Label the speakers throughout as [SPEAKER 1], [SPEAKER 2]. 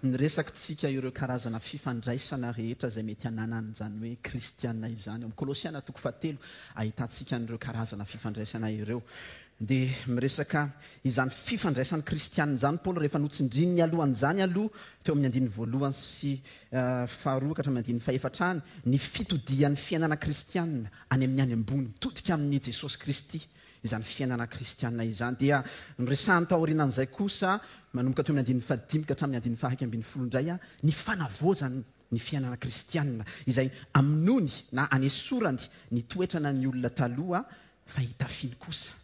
[SPEAKER 1] Niresakintsika ireo karazana fifandraisana rehetra izay mety hananan'izany hoe kristiana izany. Ao amin'ny Kolosiana toko fahatelo ahitantsika an'ireo karazana fifandraisana ireo. Dia miresaka izany fifandraisan'ny kristiana izany Paoly rehefa notsindriny nialohan'izany aloha teo amin'ny andininy voalohany sy faharoa ka hatramin'ny andininy fahefatra any ny fitodihan'ny fiainana kristiana any amin'ny any ambony, mitodika amin'i Jesosy Kristy izany fiainana kristiana izany. Dia noresahiny taorianan'izay kosa, manomboka teo amin'ny andininy fahadimy ka hatramin'ny andininy faha-iraika ambinifolo indray, ny fanavaozany ny fiainana kristiana, izay amonoany na anesorany ny toetrana ny olona taloha fa hitafiany kosa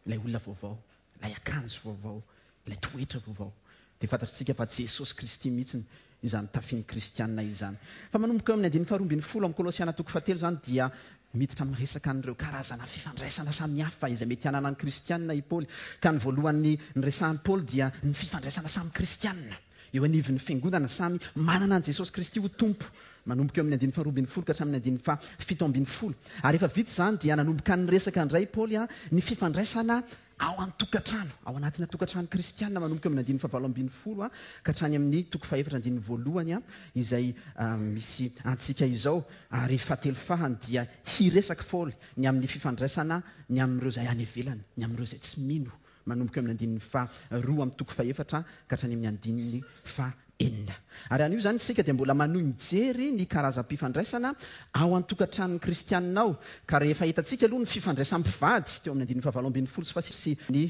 [SPEAKER 1] ilay olona vaovao, ilay akanjo vaovao, ilay toetra vaovao. Dia fantatritsika fa Jesosy Kristy mihitsy izany tafian'ny kristiana izany. Fa manomboka eo amin'ny andininy faharoa ambinifolo amin'ny Kolosiana toko fahatelo izany dia miditra miresaka an'ireo karazana fifandraisana samihafa izay mety hananan'ny kristiana i Paoly. Ka ny voalohany niresahan'i Paoly dia ny fifandraisana samy kristiana eo anivon'ny fiangonana, samy manana an'i Jesosy Kristy ho Tompo. Manomboka eo amin'ny andininy faharoa ambinifolo ka hatramin'ny andininy fahafito ambinifolo. Ary rehefa vita izany dia nanomboka niresaka indray i Paoly ny fifandraisana ao an-tokantrano, ao anatina tokantrano kristiana, manomboka eo amin'ny andininy fahavalo ambinifolo ka hatrany amin'ny toko fahefatra andininy voalohany izay misy antsika izao. Ary fahatelo fahany dia hiresaka Paoly ny amin'ny fifandraisana ny amin'ireo izay any ivelany, ny amin'ireo izay tsy mino, manomboka eo amin'ny andininy faharoa amin'ny toko fahefatra ka hatrany amin'ny andininy fahenina. Ary anio izany isika dia mbola manohy mijery ny karazam-pifandraisana ao an-tokantranon'ny kristianina ao, ka rehefa hitantsika aloha ny fifandraisan'ny mpivady teo amin'ny andininy fahavalo ambinifolo sy fahasivy sy ny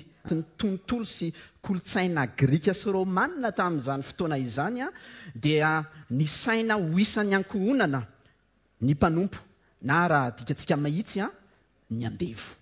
[SPEAKER 1] tontolo sy kolontsaina grika sy romana tamin'izany fotoana izany dia nisaina ho isan'ny ankohonana ny mpanompo na raha adikatsika mahitsy ny andevo.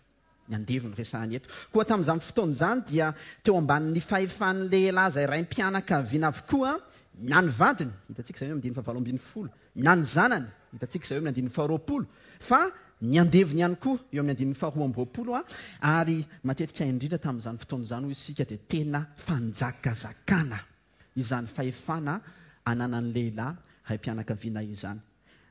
[SPEAKER 1] Ny andevo no resahana eto. Koa tamin'izany fotoana izany dia teo ambanin'ny fahefan'ny lehilahy izay raim-pianakaviana avokoa na ny vadiny, hitantsika izay eo amin'ny andininy fahavalo ambinifolo, na ny zanany, hitantsika izay eo amin'ny andininy faharoapolo, fa ny andevony ihany koa eo amin'ny andininy faharoa amby roapolo, ary matetika indrindra tamin'izany fotoana izany hoy isika dia tena fanjakazakana izany fahefana ananan'ny lehilahy raim-pianakaviana izany.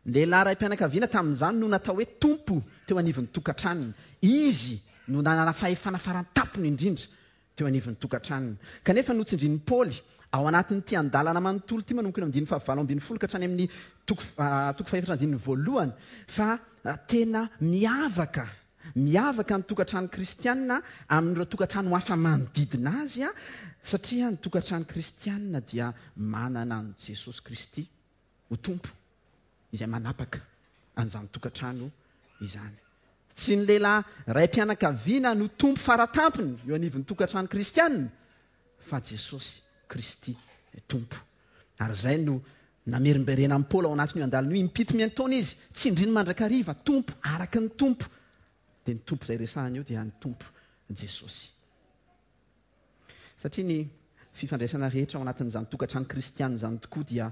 [SPEAKER 1] Ny lehilahy raim-pianakaviana tamin'izany no natao hoe tompo teo anivon'ny tokantranony. Izy no nanana fahefana faran-tampony indrindra teo anivon'ny tokantranony. Kanefa notsindrin'i Paoly ao anatin'ity andalana manontolo ity manomboka eo amin'ny andininy fahavalo ambinifolo ka hatrany amin'ny toko toko fahefatra andininy voalohany fa tena miavaka Miavaka ny tokantrano kristiana amin'ireo tokantrano hafa manodidina azy satria ny tokantrano kristiana dia manana an'i Jesosy Kristy ho Tompo izay manapaka an'izany tokantrano izany. Tsy ny lehilahy raim-pianakaviana no Tompo faratampony eo anivon'ny tokantrano kristiana fa Jesosy Kristy Tompo. Ary izay no namerimberenan'i Paoly ao anatin'io andalana io, impito miantaona izy, tsindriny mandrakariva, Tompo, araka ny Tompo. Dia ny Tompo izay resahany eo dia ny Tompo Jesosy. Satria ny fifandraisana rehetra ao anatin'izany tokantrano kristiana izany tokoa dia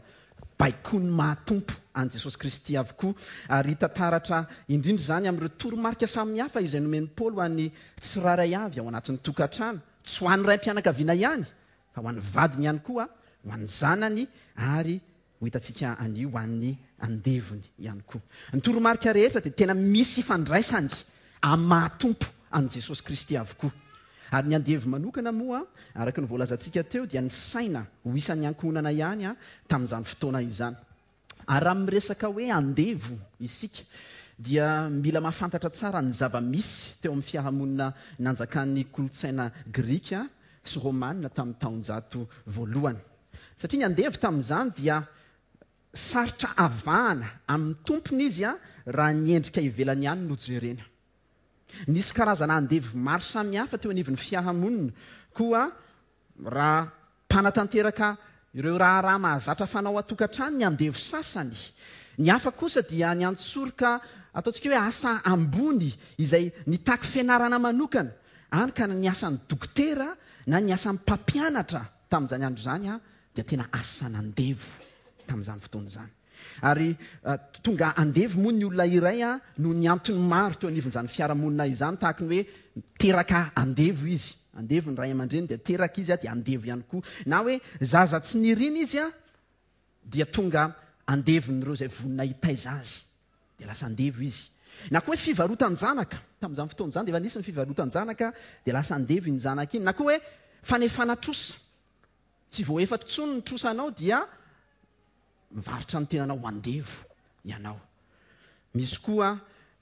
[SPEAKER 1] baikoin'ny maha Tompo an'i Jesosy Kristy avokoa. Ary hita taratra indrindra izany amin'ireo toromarika samihafa izay nomen'i Paoly ho an'ny tsirairay avy ao anatin'ny tokantrano, tsy ho an'ny raim-pianakaviana ihany, fa ho an'ny vadiny ihany koa, ho an'ny zanany ary ho hitantsika anio ho an'ny andevony ihany koa. Ny toromarika rehetra dia tena misy ifandraisany amin'ny maha-Tompo an'i Jesosy Kristy avokoa. Ary ny andevo manokana moa, araka ny voalazantsika teo, dia nisaina ho isan'ny ankohonana ihany tamin'izany fotoana izany. Ary raha miresaka hoe andevo isika dia mila mahafantatra tsara ny zava-misy teo amin'ny fiarahamonina nanjakan'ny kolontsaina grika sy romana tamin'ny taonjato voalohany. Satria ny andevo tamin'izany dia sarotra avahana amin'ny tompony izy raha ny endrika ivelany ihany no jerena. Nisy karazana andevo maro samihafa teo anivon'ny fiarahamonina, koa Raha mpanatanteraka ireo raharaha mahazatra fanao an-tokantrano ny andevo sasany, ny hafa kosa dia niantsoroka ataontsika hoe asa ambony izay nitaky fianarana manokana, hany ka ny asan'ny dokotera na ny asan'ny mpampianatra tamin'izany andro izany dia tena asan'andevo tamin'izany fotoana izany. Ary tonga andevo moa ny olona iray noho ny antony maro teo anivon'izany fiarahamonina izany, tahaka ny hoe teraka andevo izy, andevo ny ray aman-dreny dia teraka izy dia andevo ihany koa, na hoe zaza tsy nirina izy dia tonga andevon'ireo izay vonona hitaiza azy dia lasa andevo izy, na koa hoe fivarotan-janaka, tamin'izany fotoana izany dia efa nisy ny fivarotan-janaka dia lasa andevo iny zanaka iny, na koa hoe fanefana trosa. Tsy voaefa intsony ny trosanao dia mivarotra ny tenanao ho andevo ianao. Misy koa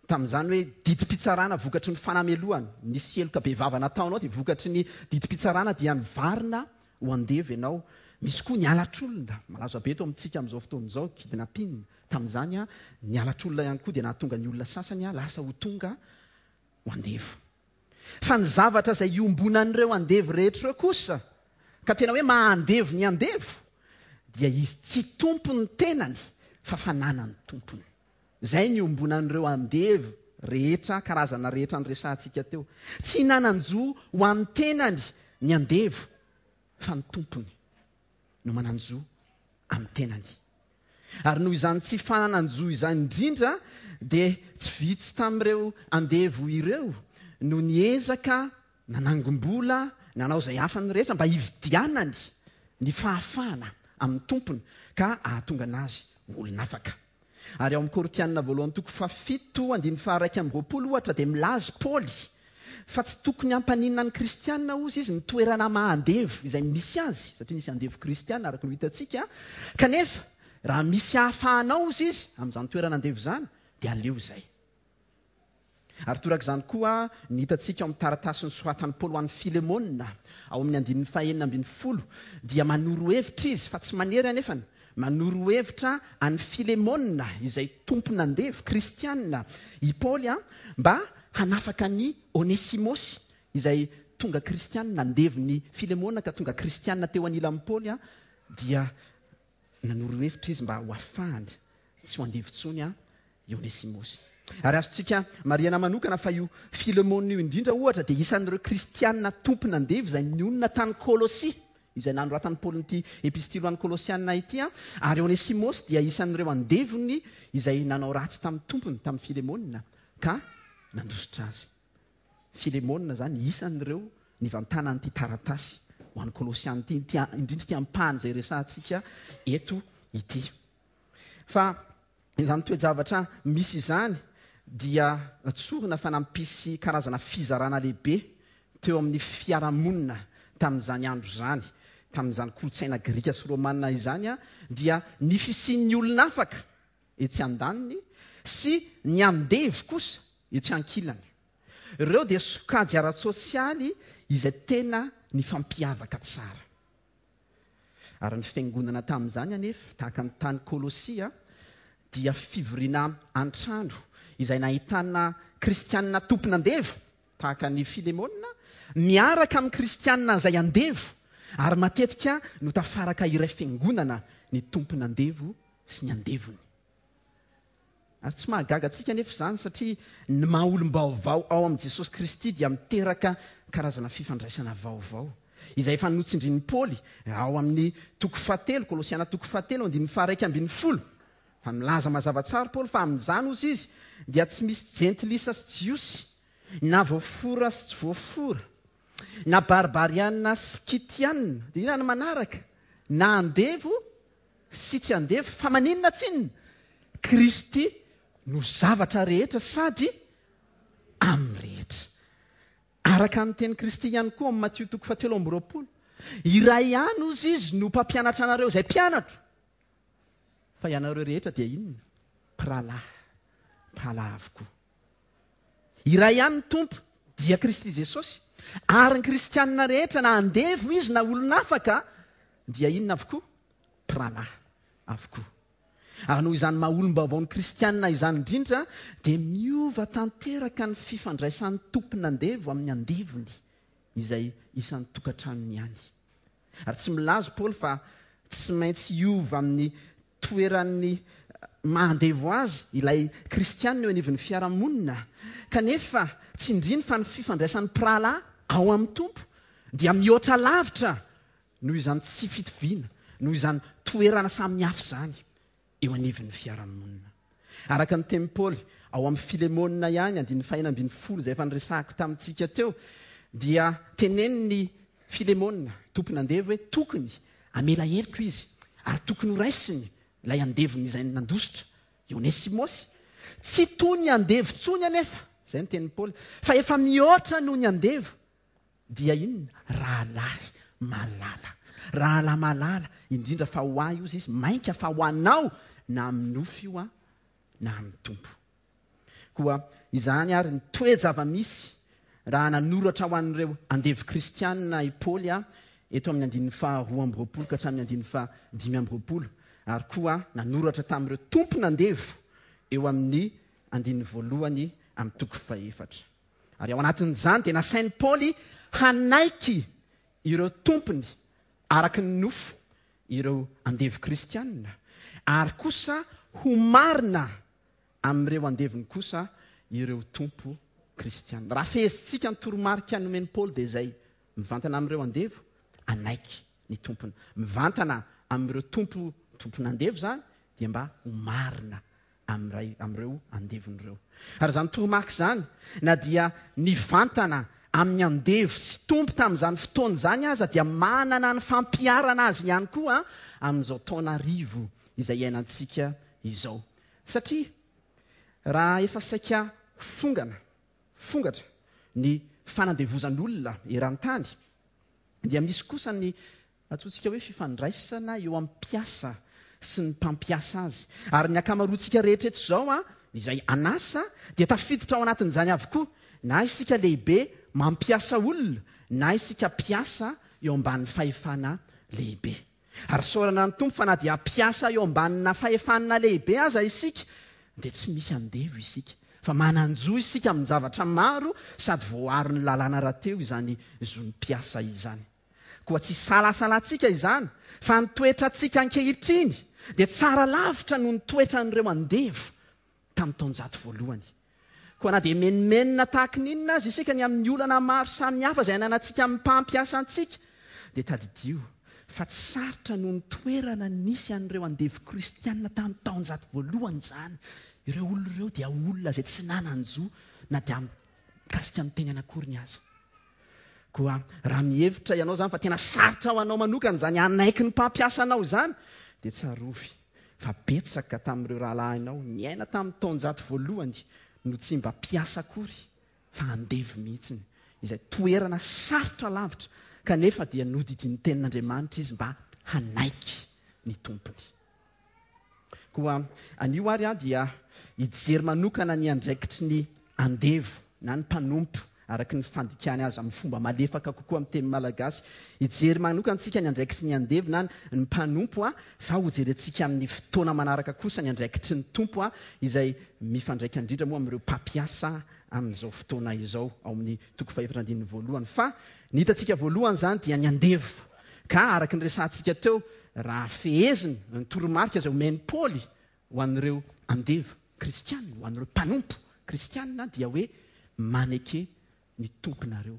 [SPEAKER 1] tamin'izany hoe didim-pitsarana vokatry ny fanamelohana. Nisy heloka bevava nataonao dia vokatry ny didim-pitsarana dia nivarina ho andevo ianao. Misy koa ny halatr'olona, malaza be eto amintsika amin'izao fotoana izao, kidnapping. Tamin'izany ny halatr'olona ihany koa dia nahatonga ny olona sasany lasa ho tonga ho andevo. Fa ny zavatra izay iombonan'ireo andevo rehetra ireo kosa, ka tena hoe maha andevo ny andevo, dia izy tsy tompon'ny tenany fa fananan'ny tompony. Izay ny iombonan'ireo andevo rehetra, karazana rehetra noresahantsika teo. Tsy nanan-jo ho an'ny tenany ny andevo fa ny tompony no manan-jo amin'ny tenany. Ary noho izany tsy fananan-jo izany indrindra dia tsy vitsy tamin'ireo andevo ireo no niezaka nanangom-bola, nanao izay afany rehetra mba hividianany ny fahafahana amin'ny tompony ka hahatonga anazy ho olon'afaka. Ary ao amin'ny Korintiana voalohany toko fahafito andininy faha-21 ohatra dia milaza Paoly fa tsy tokony hampaninona ny kristiana hozy izy ny toerana maha andevo izay misy azy, satria misy andevo kristiana araka ny ho hitantsika, kanefa raha misy ahafahanao hozy izy amin'izany toerana andevo izany dia aleo izay. Ary torak'izany koa ny hitantsika ao amin'ny taratasy nosoratan'i Paoly ho an'i Filemona, ao amin'ny andininy fahenina ambinifolo, dia manoro hevitra izy, fa tsy manery anefany, manoro hevitra an'i Filemona izay tompon'andevo kristiana i Paoly mba hanafaka an'i Onesimosy izay tonga kristiana, nandevon'i Filemona ka tonga kristiana teo anilan'i Paoly, dia nanoro hevitra izy mba ho afahany tsy ho andevo intsony i Onesimosy. Ary azontsika marihana manokana fa io Filemona io indrindra ohatra dia isan'ireo kristiana tompon'andevo izay nionona tany Kolosia, izay nanoratan'i Paoly ity epistily ho an'ny Kolosiana ity, ary Onesimosy dia isan'ireo andevony izay nanao ratsy tamin'ny tompony, tamin'i Filemona, ka nandositra azy. Filemona izany isan'ireo nivantanan'ity taratasy ho an'ny Kolosiana ity, ity indrindra ity ampahany izay resahantsika eto ity. Fa izany toe-javatra misy izany dia tsorina fa nampisy karazana fizarana lehibe teo amin'ny fiarahamonina tamin'izany andro izany, tamin'izany kolontsaina grika sy romana izany dia ny fisian'ny olona afaka etsy andaniny sy ny andevo kosa etsy ankilany. Ireo dia sokajy ara-tsosialy izay tena nifampiavaka tsara. Ary ny fiangonana tamin'izany anefa, tahaka ny tany Kolosia, dia fivoriana an-trano izay nahitana kristiana tompon'andevo, tahaka an'i Filemona, miaraka amin'ny kristiana izay andevo, ary matetika no tafaraka iray fiangonana ny tompon'andevo sy ny andevony. Ary tsy mahagaga antsika anefa izany satria ny maha olom-baovao ao amin'i Jesosy Kristy dia miteraka karazana fifandraisana vaovao, izay efa notsindrin'i Paoly ao amin'ny toko fahatelo, Kolosiana toko fahatelo andininy faha-11, fa milaza mazava tsara Paoly fa amin'izany, hozy izy, dia tsy misy jentilisa sy jiosy, na voafora sy tsy voafora, na barbariana sy skytiana, dia inona no manaraka? Na andevo sy tsy andevo, fa maninona tsinona? Kristy no zavatra rehetra sady amin'ny rehetra. Araka ny tenin'i Kristy ihany koa amin'ny Matio toko fahatelo amby roapolo, Iray ihany hozy Izy no mpampianatra anareo izay mpianatro, fa ianareo rehetra dia inona? Mpirahalahy, mpirahalahy avokoa. Iray ihany ny Tompo, dia Kristy Jesosy, ary ny kristianina rehetra na andevo izy na olon'afaka dia inona avokoa? Mpirahalahy avokoa. Ary noho izany maha olom-baovao ny kristianina izany indrindra dia miova tanteraka ny fifandraisan'ny tompon'andevo amin'ny andevony izay isan'ny tokantranony ihany. Ary tsy milaza Paoly fa tsy maintsy hiova amin'ny toeran'ny maha andevo azy ilay kristiana eo anivon'ny fiarahamonina. Kanefa tsindriny fa ny fifandraisan'ny mpirahalahy ao amin'ny Tompo dia mihoatra lavitra noho izany tsy fitoviana, noho izany toerana samihafa izany eo anivon'ny fiarahamonina. Araka ny tenin'i Paoly ao amin'ny Filemona ihany, andininy fahenina ambinifolo izay efa niresahako tamintsika teo, dia tenenin'i Filemona, tompon'andevo, hoe tokony hamela heloka izy ary tokony horaisiny ilay andevony izay nandositra, i Onesimosy. Tsy toy ny andevo intsony anefa, izay no tenin'i Paoly, fa efa mihoatra noho ny andevo, dia inona? Rahalahy malala. Rahalahy malala, indrindra fa ho ahy hozy izy, mainka fa ho anao, na amin'ny nofo io na amin'ny Tompo. Koa izany àry ny toe-java-misy raha nanoratra ho an'ireo andevo kristianina i Paoly eto amin'ny andininy faha 22 ka hatramin'ny andininy faha 25, ary koa nanoratra tamin'ireo tompon'andevo eo amin'ny andininy voalohany amin'ny toko fahefatra. Ary ao anatin'izany dia nasain'i Paoly hanaiky ireo tompony araka ny nofo ireo andevo kristianina, ary kosa ho marina amin'ireo andevony kosa ireo tompo kristiana. Raha fehezintsika ny toromarika nomen'i Paoly dia izay, mivantana amin'ireo andevo, hanaiky ny tompony. Mivantana amin'ireo tompo tompon'andevo izany dia mba ho marina amin'iray amin'ireo andevony ireo. Ary izany toromarika izany, na dia nivantana amin'ny andevo sy tompo tamin'izany fotoana izany aza dia manana ny fampiharana azy ihany koa amin'izao taona arivo izay iainantsika izao. Satria raha efa saika fongana, fongatra, ny fanandevozan'olona eran-tany, dia misy kosa ny antsointsika hoe fifandraisana eo amin'ny mpiasa sy ny mpampiasa azy. Ary ny ankamaroantsika rehetra eto izao, izay an'asa, dia tafiditra ao anatin'izany avokoa, na isika lehibe mampiasa olona, na isika mpiasa eo ambany fahefana lehibe. Ary isaorana ny Tompo fa na dia mpiasa eo ambanina fahefana lehibe aza isika, dia tsy misy andevo isika, fa manan-jo isika amin-javatra maro sady voaaron'ny lalàna rahateo izany zon'ny mpiasa izany. Koa tsy isalasalantsika izany fa ny toetrantsika ankehitriny dia tsara lavitra noho ny toetran'ireo andevo tamin'ny taonjato voalohany. Koa na dia menomenona tahaka ny inona aza isika ny amin'ny olana maro samihafa izay ananantsika amin'ny mpampiasa antsika, dia tadidio fa tsy sarotra noho ny toerana nisy an'ireo andevo kristiana tamin'ny taonjato voalohany izany. Ireo olona ireo dia olona izay tsy nanan-jo na dia mikasika ny tenany akoriny aza. Koa raha mihevitra ianao izany fa tena sarotra ho anao manokana izany hanaiky ny mpampiasa anao izany, dia tsarovy fa betsaka tamin'ireo rahalahinao niaina tamin'ny taonjato voalohany no tsy mba mpiasa akory fa andevo mihitsy, izay toerana sarotra lavitra, kanefa dia nodidian'ny Tenin'Andriamanitra izy mba hanaiky ny tompony. Koa anio ary aho dia hijery manokana ny andraikitry ny andevo na ny mpanompo, araka ny fandikany azy amin'ny fomba malefaka kokoa amin'ny teny malagasy. Hijery manokana isika ny andraikitry ny andevo na ny mpanompo, fa hojerentsika amin'ny fotoana manaraka kosa ny andraikitry ny tompo, izay mifandraika indrindra moa amin'ireo mpampiasa amin'izao fotoana izao, ao amin'ny toko fahefatra andininy voalohany. Fa ny hitantsika voalohany izany dia ny andevo. Ka araka ny resahantsika teo, raha fehezina ny toromarika izay omen'i Paoly ho an'ireo andevo kristiana, ho an'ireo mpanompo kristiana dia hoe maneke ny tomponareo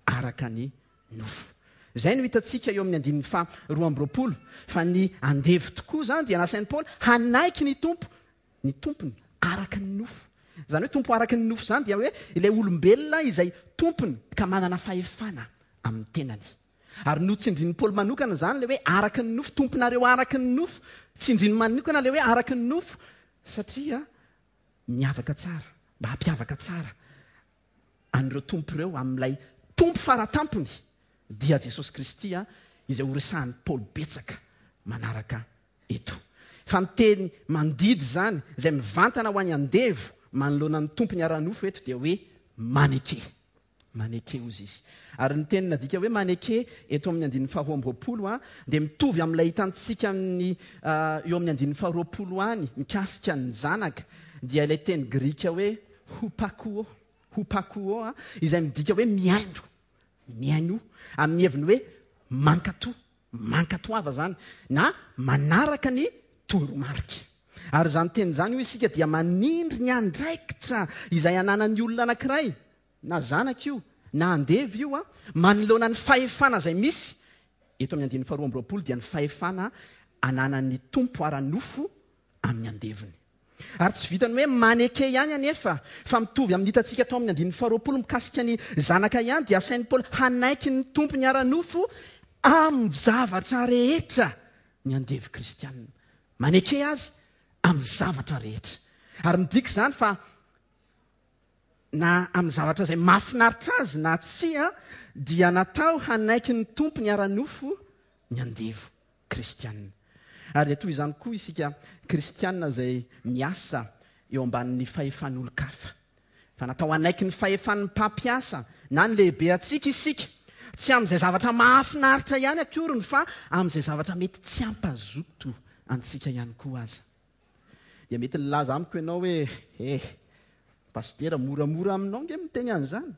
[SPEAKER 1] araka ny nofo. Izay no hitantsika eo amin'ny andininy faha 22, fa ny andevo tokoa izany dia nasain'i Paoly hanaiky ny Tompo, ny tompony araka ny nofo. Izany hoe tompo araka ny nofo izany dia hoe ilay olombelona izay tompony ka manana fahefana amin'ny tenany. Ary notsindrin'i Paoly manokana izany ilay hoe araka ny nofo, tomponareo araka ny nofo. Tsindriny manokana ilay hoe araka ny nofo satria miavaka tsara, mba hampiavaka tsara an'ireo tompo ireo amin'ilay Tompo faratampony dia Jesosy Kristy izay horesahan'i Paoly betsaka manaraka eto. Fa ny teny mandidy izany izay mivantana ho an'ny andevo manoloana ny tompony ara-nofo eto dia hoe maneke. Maneke hozy izy. Ary ny teny nadika hoe maneke eto amin'ny andininy faharoa amby roapolo dia mitovy amin'ilay hitantsika amin'ny eo amin'ny andininy faharoapolo any mikasika ny zanaka, dia ilay teny grika hoe hupakuo, hupakuo, izay midika hoe mihaino, mihainoa, amin'ny heviny hoe mankatò, mankatoava izany, na manaraka ny toromarika. Ary izany teny izany hoy isika dia manindry ny andraikitra izay ananan'ny olona anankiray, na zanaka io, na andevo io, manoloana ny fahefana izay misy, eto amin'ny andininy faharoa amby roapolo dia ny fahefana ananan'ny tompo ara-nofo amin'ny andevony. Ary tsy vitan'ny hoe maneke ihany anefa, fa mitovy amin'ny hitantsika tao amin'ny andininy faharoapolo mikasika ny zanaka ihany dia asain'i Paoly hanaiky ny tompony ara-nofo amin'ny zavatra rehetra ny andevo kristianina. Maneke azy amin'ny zavatra rehetra. Ary midika izany fa na amin'ny zavatra izay mahafinaritra azy na tsia, dia natao hanaiky ny tompony ara-nofo ny andevo kristianina. Ary dia toy izany koa isika kristianina izay miasa eo ambanin'ny fahefan'olon-kafa. Fa natao hanaiky ny fahefan'ny mpampiasa na ny lehibe antsika isika, tsy amin'izay zavatra mahafinaritra ihany akoriny fa amin'izay zavatra mety tsy hampazoto antsika ihany koa aza. Dia mety nilaza amiko ianao hoe, Eh, Pasitera, moramora aminao ange miteny an'izany.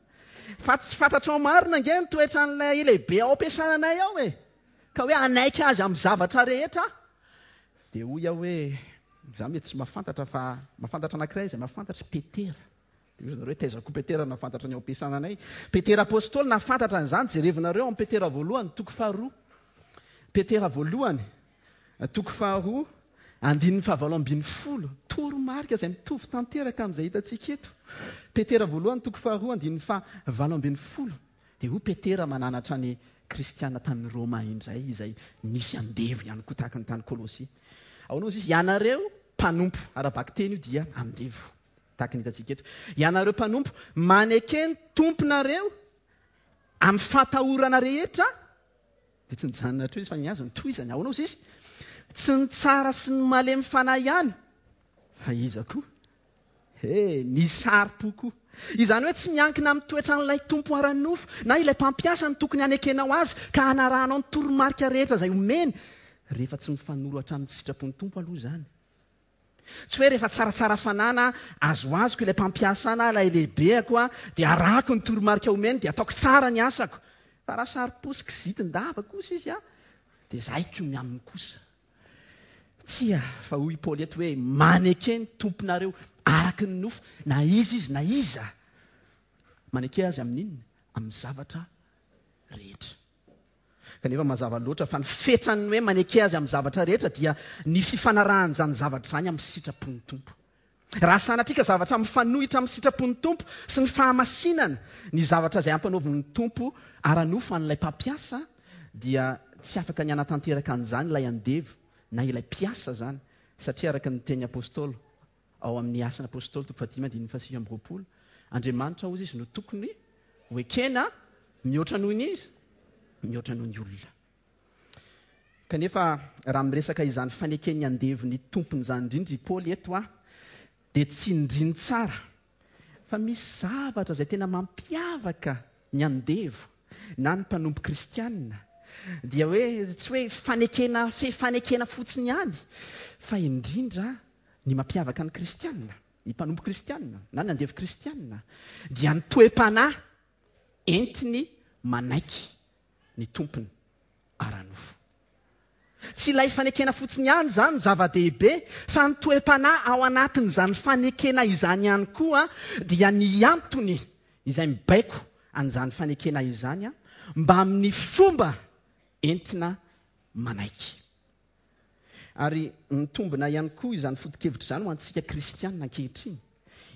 [SPEAKER 1] Fa tsy fantatrao marina ange ny toetran'ilay lehibe ao am-piasananay ao e! Ka hoe hanaiky azy amin'ny zavatra rehetra aho. Dia hoy aho hoe, Izaho mety tsy mahafantatra fa mahafantatra anankiray izay mahafantatra, Petera. Dia hoy zareo hoe, Taiza koa Petera nahafantatra ny ao am-piasananay? Petera Apostoly nahafantatra an'izany, jerevinareo ao amin'ny Petera voalohany, toko faharoa. Petera voalohany, toko faharoa, andininy fahavalo ambin'ny folo. Toromarika izay mitovy tanteraka amin'izay hitantsika eto. Petera voalohany, toko faharoa, andininy fahavalo ambin'ny folo. Dia hoy Petera mananatra ny kristiana tany Roma indray, izay nisy andevo ihany koa tahaka ny tany Kolosia. Ahoana hozy izy? Ianareo mpanompo, ara-bakiteny io dia andevo, tahaka ny hitantsika eto. Ianareo mpanompo, maneke ny tomponareo amin'ny fahatahorana rehetra, dia tsy nijanona hatreo izy fa ny azy notohizany. Ahoana hozy izy? Tsy ny tsara sy ny malemy fanahy ihany, fa iza koa? He, ny sari-po koa. Izany hoe tsy miankina amin'ny toetran'ilay tompo ara-nofo na ilay mpampiasa no tokony hanekenao azy ka hanarahanao ny toromarika rehetra izay omeny, rehefa tsy mifanorohatra amin'ny sitrapon'ny Tompo aloha izany. Tsy hoe rehefa tsaratsara fanahy na azoazoko ilay mpampiasa na ilay lehibeako dia arahako ny toromarika omeny dia ataoko tsara ny asako. Fa raha sari-po sy kizitin-dava kosa izy dia zaiko ny aminy kosa. Tsia, fa hoy i Paoly eto hoe, Maneke ny Tomponareo araka ny nofo, na iza izy na iza. Maneke azy amin'inona? Amin'ny zavatra rehetra. Kanefa mazava loatra fa ny fetran'ny hoe maneke azy amin'ny zavatra rehetra dia ny fifanarahan'izany zavatra izany amin'ny sitrapon'ny Tompo. Raha sanatria ka zavatra mifanohitra amin'ny sitrapon'ny Tompo sy ny fahamasinana ny zavatra izay ampanaovin'ny Tompo ara-nofo an'ilay mpampiasa, dia tsy afaka ny hanatanteraka an'izany ilay andevo na ilay mpiasa izany, satria araka ny tenin'ny Apostoly ao amin'ny Asan'ny Apostoly toko fahadimy andininy fahasivy amby roapolo, Andriamanitra hozy izy no tokony ho ekena mihoatra noho ny iza? Mihoatra noho ny olona. Kanefa raha miresaka izany faneken'ny andevo ny tompony izany indrindra i Paoly eto dia tsindriny tsara fa misy zavatra izay tena mampiavaka ny andevo na ny mpanompo kristiana dia hoe tsy hoe fanekena fe fanekena fotsiny ihany fa indrindra ny mampiavaka ny kristiana, ny mpanompo kristiana na ny andevo kristiana dia ny toe-panahy entiny manaiky ny tompony ara-nofo. Tsy ilay fanekena fotsiny ihany izany no zava-dehibe fa ny toe-panahy ao anatin'izany fanekena izany ihany koa dia ny antony izay mibaiko an'izany fanekena izany mbamin'ny fomba entina manaiky. Ary mitombina ihany koa izany foto-kevitra izany ho antsika kristiana ankehitriny,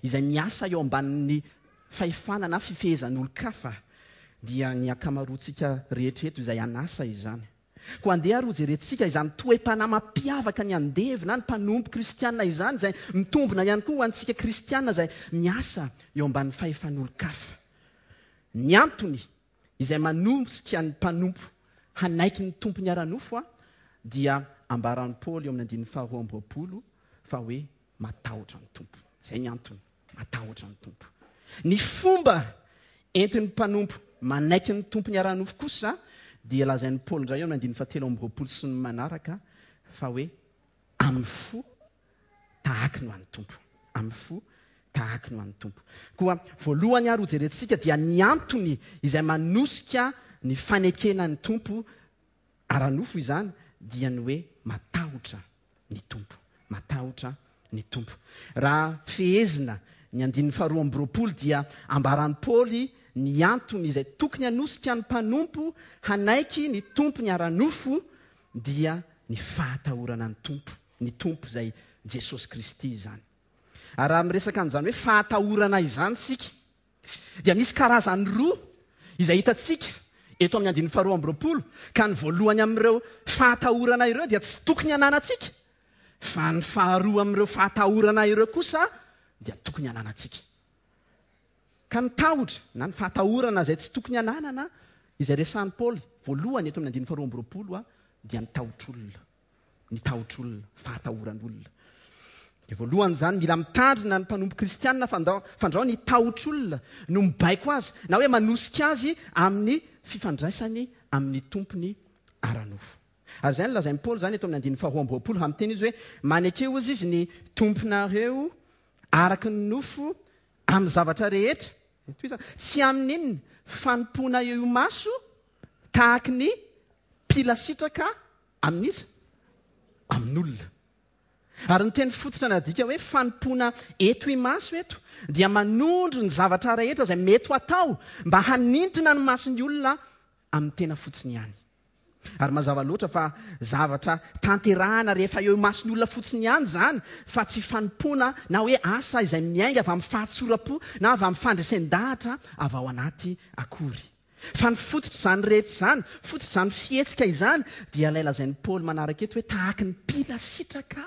[SPEAKER 1] izay miasa eo ambanin'ny fahefana na fifehezan'olon-kafa, dia ny ankamaroantsika rehetra eto izay an'asa izany. Koa andeha ary hojerentsika izany toe-panahy mampiavaka ny andevo na ny mpanompo kristiana izany, izay mitombina ihany koa ho antsika kristiana izay miasa eo ambanin'ny fahefan'olon-kafa. Ny antony izay manosika ny mpanompo hanaiky ny tompony ara-nofo dia ambaran'i Paoly eo amin'ny andininy faharoa amby roapolo fa hoe matahotra ny Tompo. Izay ny antony, matahotra ny Tompo. Ny fomba entin'ny mpanompo manaiky ny tompony ara-nofo kosa dia lazain'i Paoly indray eo amin'ny andininy fahatelo amby roapolo sy ny manaraka fa hoe amin'ny fo tahaky ny ho an'ny Tompo. Amin'ny fo tahaky ny ho an'ny Tompo. Koa voalohany ary hojerentsika dia ny antony izay manosika ny fanekena ny Tompo ara-nofo izany dia ny hoe matahotra ny Tompo. Matahotra ny Tompo. Raha fehezina ny andininy faharoa amby roapolo dia ambaran'i Paoly ny antony izay tokony hanosika ny mpanompo hanaiky ny tompony ara-nofo dia ny fahatahorana ny Tompo. Ny Tompo izay Jesosy Kristy izany. Ary raha miresaka an'izany hoe fahatahorana izany isika, dia misy karazany roa izay hitantsika eto amin'ny andininy faharoa amby roapolo, ka ny voalohany amin'ireo fahatahorana ireo dia tsy tokony hananantsika, fa ny faharoa amin'ireo fahatahorana ireo kosa dia tokony hananantsika. Ka ny tahotra na ny fahatahorana izay tsy tokony hananana, izay resahin'i Paoly voalohany eto amin'ny andininy faharoa amby roapolo, dia ny tahotr'olona. Ny tahotr'olona, fahatahoran'olona. Dia voalohany izany, mila mitandrina ny mpanompo kristianina fandao, fandrao ny tahotr'olona no mibaiko azy, na hoe manosika azy amin'ny fifandraisany amin'ny tompony ara-nofo. Ary izay no lazain'i Paoly izany eto amin'ny andininy faharoa amby 20, raha miteny izy hoe, Maneke hozy izy ny tomponareo araka ny nofo amin'ny zavatra rehetra, tohizana, tsy amin'inona, fanompoana eo imaso tahaky ny mpila sitraka amin'iza? Amin'olona. Ary ny teny fototra nadika hoe fanompoana eto imaso eto dia manondro ny zavatra rehetra izay mety ho atao mba hanintona ny mason'ny olona amin'ny tena fotsiny ihany. Ary mazava loatra fa zavatra tanterahana rehefa eo imason'ny olona fotsiny ihany izany fa tsy fanompoana na hoe asa izay miainga avy amin'ny fahatsoram-po na avy amin'ny fandresen-dahatra avy ao anaty akory. Fa ny fototr'izany rehetra izany, fototr'izany fihetsika izany dia ilay lazain'i Paoly manaraka eto hoe tahaky ny mpila sitraka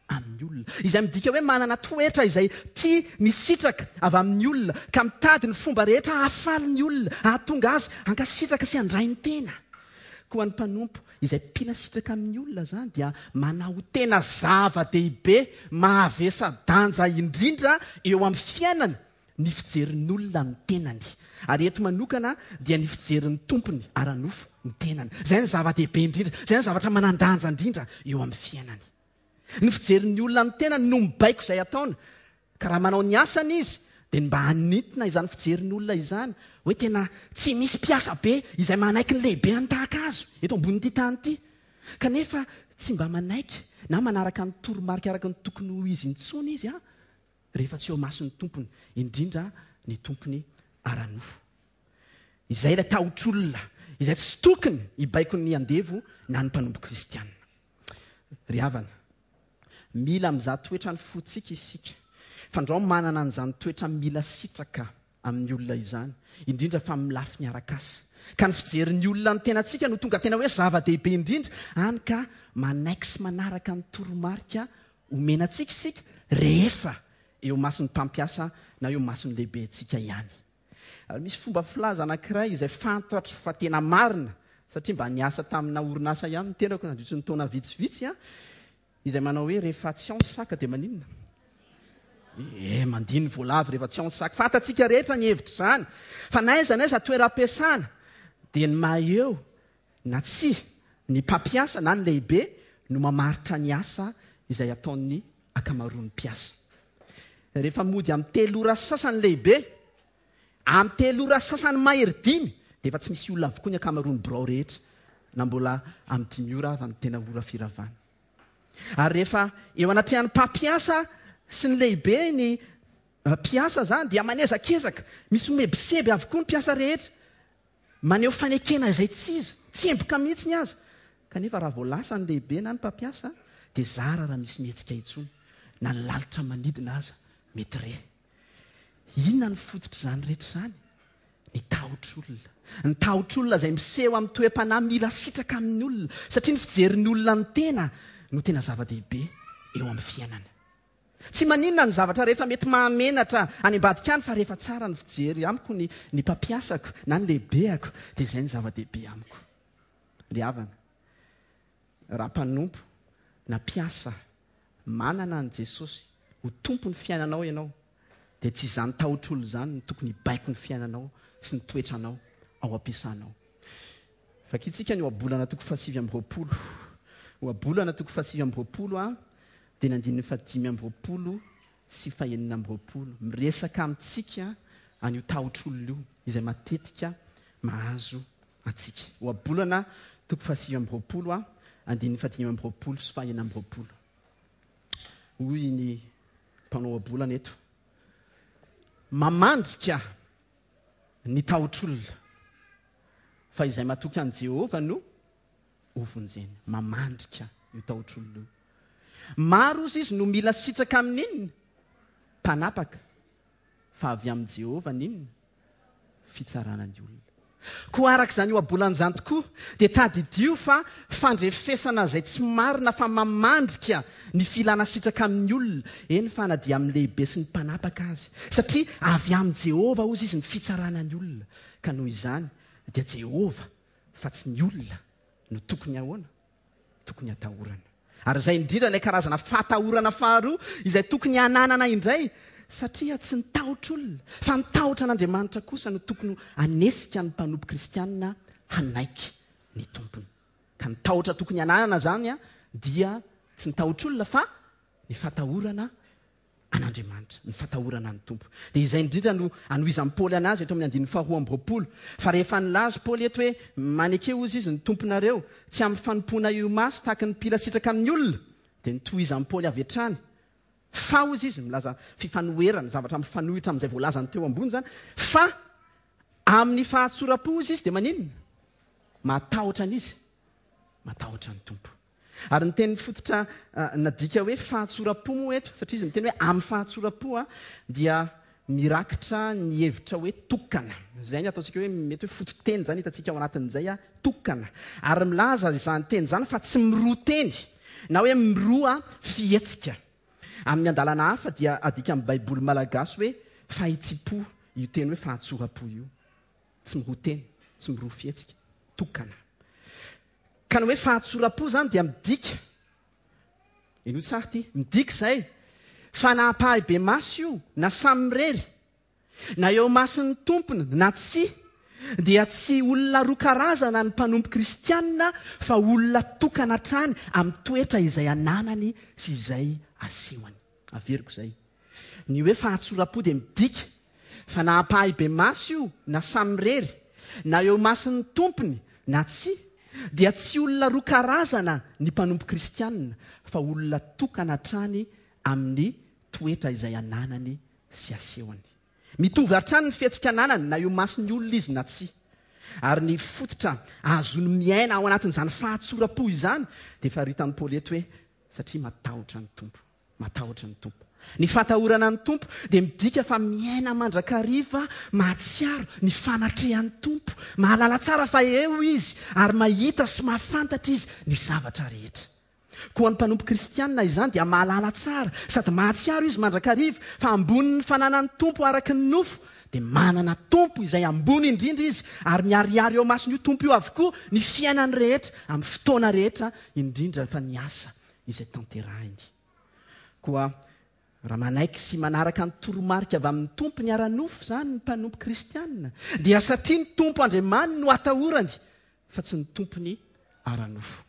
[SPEAKER 1] amin'ny olona. Izay midika hoe manana toetra izay tia ny sitraka avy amin'ny olona, ka mitady ny fomba rehetra hahafaly ny olona, hahatonga azy hankasitraka sy handray ny tena. Koa ny mpanompo izay mpila sitraka amin'ny olona izany dia manao ho tena zava-dehibe mahavesa-danja indrindra eo amin'ny fiainany ny fijerin'olona ny tenany. Ary eto manokana dia ny fijerin'ny tompony ara-nofo ny tenany. Izay no zava-dehibe indrindra, izay no zavatra manan-danja indrindra eo amin'ny fiainany. Ny fijerin'ny olona ny tenany no mibaiko izay ataony. Ka raha manao ny asany izy dia ny mba hanintona izany fijerin'olona izany hoe tena tsy misy mpiasa be izay manaiky ny lehibeany tahaka azy eto ambonin'ity tany ity. Kanefa tsy mba manaiky na manaraka ny toromarika araka ny tokony ho izy intsony izy rehefa tsy eo imason'ny tompony, indrindra ny tompony ara-nofo. Izay ilay tahotr'olona izay tsy tokony hibaiko ny andevo na ny mpanompo kristiana. Ry havana, mila mizaha toetra ny fontsika isika, fandrao manana an'izany toetra mila sitraka amin'ny olona izany, indrindra fa amin'ny lafiny arak'asa. Ka ny fijerin'ny olona ny tenantsika no tonga tena hoe zava-dehibe indrindra, hany ka manaiky sy manaraka ny toromarika omena antsika isika rehefa eo imason'ny mpampiasa na eo imason'ny lehibentsika ihany. Ary misy fomba filaza anankiray izay fantatro fa tena marina, satria mba niasa tamina orinasa ihany ny tenako nandritry ny taona vitsivitsy, izay manao hoe rehefa tsy ao ny saka dia maninona? Eh, mandihy ny voalavo rehefa tsy ao ny saka. Fantatsika rehetra ny hevitr'izany. Fa na aiza na aiza toeram-piasana dia ny maha eo na tsia ny mpampiasa na ny lehibe no mamaritra ny asa izay ataon'ny ankamaroan'ny mpiasa. Rehefa mody amin'ny telo ora sy sasany lehibe, amin'ny telo ora sy sasany mahery dimy dia efa tsy misy olona avokoa ny ankamaroan'ny birao rehetra na mbola amin'ny dimy ora ava ny tena ora firavana. Ary rehefa eo anatrehan'ny mpampiasa sy ny lehibe ny mpiasa izany dia manezakezaka, misy mihebiseby avokoa ny mpiasa rehetra. Maneho fanekena izay tsy izy, tsemboka mihitsy ny aza. Kanefa raha vao lasa ny lehibe na ny mpampiasa dia zara raha misy mihetsika intsony, na ny lalitra manidina aza mety re. Inona no fototr'izany rehetra izany? Ny tahotr'olona. Ny tahotr'olona izay miseho amin'ny toe-panahy mila sitraka amin'ny olona, satria ny fijerin'ny olona ny tena no tena zava-dehibe eo amin'ny fiainana. Tsy maninona ny zavatra rehetra mety mahamenatra any ambadika any fa rehefa tsara ny fijery amiko ny ny mpampiasako na ny lehibeako dia izay no zava-dehibe amiko. Ry havana, raha mpanompo na mpiasa manana an'i Jesosy ho Tompon'ny fiainanao ianao dia tsy izany tahotr'olona izany no tokony hibaiko ny fiainanao sy ny toetranao ao am-piasanao. Vakintsika ny ohabolana toko fahasivy amby 20. Ohabolana toko fahasivy amby 20 a. Dia ny andininy fahadimy amby 20 sy fahenina amby 20. Miresaka amintsika an'io tahotr'olona io, izay matetika mahazo antsika. Ohabolana toko fahasivy amby 20 a, andininy fahadimy amby 20 sy fahenina amby 20. Hoy ny mpanao ohabolana eto, Mamandrika ny tahotr'olona, fa izay matoky an'i Jehovah no hovonjeny. Mamandrika io tahotr'olona io. Maro ozy izy no mila sitraka amin'inona? Mpanapaka. Fa avy amin'i Jehovah ny inona? Fitsarana ny olona. Koa araka izany ohabolana izany tokoa, dia tadidio fa fandrefesana izay tsy marina fa mamandrika ny filana sitraka amin'ny olona, eny fa na dia amin'ny lehibe sy ny mpanapaka aza. Satria avy amin'i Jehovah, hozy izy, ny fitsarana ny olona. Ka noho izany, dia Jehovah fa tsy ny olona no tokony ahoana? tokony hatahorana. Ary izay indrindra ilay karazana fahatahorana faharoa izay tokony hananana indray, satria tsy ny tahotr'olona, fa ny tahotra an'Andriamanitra kosa no tokony hanesika ny mpanompo kristiana hanaiky ny Tompony. Ka ny tahotra tokony hananana izany dia tsy ny tahotr'olona fa ny fatahorana an'Andriamanitra, ny fatahorana ny Tompo. Dia izay indrindra no anohizan'i Paoly an'azy eto amin'ny andininy faharoa amby 20. Fa rehefa nilaza Paoly eto hoe, Maneke hozy izy ny Tomponareo, tsy amin'ny fanompoana eo imaso tahaky ny mpila sitraka amin'ny olona, dia notohizan'i Paoly avy hatrany, fa hozy izy, milaza fifanoherana, zavatra mifanohitra amin'izay voalazany teo ambony izany, fa amin'ny fahatsoram-po hozy izy dia maninona? Matahotra an'iza? Matahotra ny Tompo. Ary ny teny fototra nadika hoe fahatsoram-po moa eto, satria izy miteny hoe amin'ny fahatsoram-po, dia mirakitra ny hevitra hoe tokana. Izay ny ataontsika hoe mety hoe fototeny izany hitantsika ao anatin'izay, tokana. Ary milaza izany teny izany fa tsy miroa teny na hoe miroa fihetsika. Amin'ny andalana hafa dia adika amin'ny Baiboly malagasy hoe fahitsim-po io teny hoe fahatsoram-po io. Tsy miroa teny, tsy miroa fihetsika, tokana. Ka ny hoe fahatsoram-po izany dia midika, henoy tsara ity, midika izay fa na ampahibemaso io na samirery, na eo imason'ny tompony na tsia, dia tsy olona roa karazana ny mpanompo kristiana fa olona tokana hatrany amin'ny toetra izay ananany sy izay asehony. Averiko izay. Ny hoe fahatsoram-po dia midika fa na ampahibemaso io na samirery, na eo imason'ny tompony na tsia, dia tsy olona roa karazana ny mpanompo kristiana fa olona tokana hatrany amin'ny toetra izay ananany sy asehony. Mitovy hatrany ny fihetsika ananany na eo imason'ny olona izy na tsia. Ary ny fototra ahazoany miaina ao anatin'izany fahatsoram-po izany dia faritan'i Paoly eto hoe satria matahotra ny Tompo. Matahotra ny Tompo. Ny fatahorana ny Tompo dia midika fa miaina mandrakariva mahatsiaro ny fanatrehan'ny Tompo, mahalala tsara fa eo Izy ary mahita sy mahafantatra Izy ny zavatra rehetra. Koa ny mpanompo kristiana izany dia mahalala tsara sady mahatsiaro izy mandrakariva fa ambonin'ny fananan'ny Tompo araka ny nofo dia manana Tompo izay ambony indrindra izy ary miharihary eo imason'io Tompo io avokoa ny fiainany rehetra amin'ny fotoana rehetra indrindra fa ny asa izay tanterahiny. Koa raha manaiky sy manaraka ny toromarika avy amin'ny Tompony ara-nofo izany ny mpanompo kristiana, dia satria ny Tompo Andriamaniny no atahorany, fa tsy ny tompony ara-nofo.